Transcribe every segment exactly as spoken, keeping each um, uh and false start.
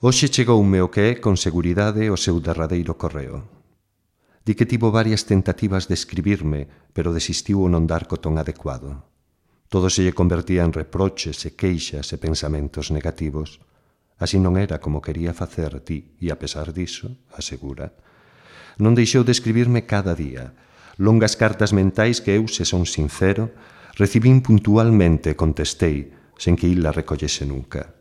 Hoxe chegoume o que é, con seguridade, o seu derradeiro correo. Di que tivo varias tentativas de escribirme, pero desistiu ao non dar co ton adecuado. Todo se lle convertía en reproches e queixas e pensamentos negativos. Así non era como quería facer, ti, e a pesar diso, asegura. Non deixou de escribirme cada día. Longas cartas mentais que eu, se son sincero, recibín puntualmente e contestei, sen que il la recollese nunca.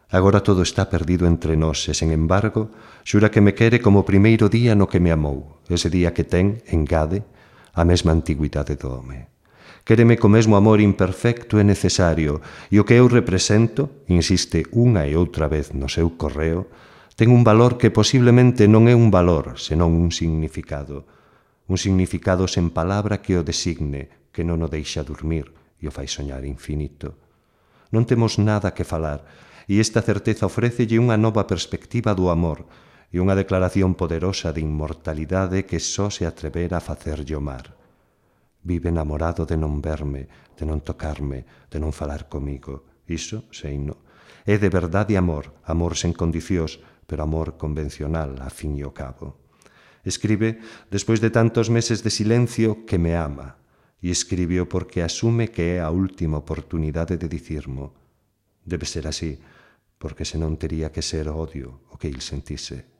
Agora todo está perdido entre nós e, sen embargo, xura que me quere como o primeiro día no que me amou, ese día que ten, engade, a mesma antigüidade do home. Quéreme co mesmo amor imperfecto e necesario, e o que eu represento, insiste unha e outra vez no seu correo, ten un valor que posiblemente non é un valor, senón un significado. Un significado sen palabra que o designe, que non o deixa dormir e o fai soñar infinito. Non temos nada que falar, e esta certeza ofrécelle unha nova perspectiva do amor e unha declaración poderosa de inmortalidade que só se atrevera a facerlle o mar. Vive enamorado de non verme, de non tocarme, de non falar comigo. Iso, seino, é de verdade amor, amor sen condicións, pero amor convencional, a fin e ao cabo. Escribe, despois de tantos meses de silencio, que me ama, e escribio porque asume que é a última oportunidade de dicirmo. Debe ser así, porque senón tería que ser odio o que il sentise.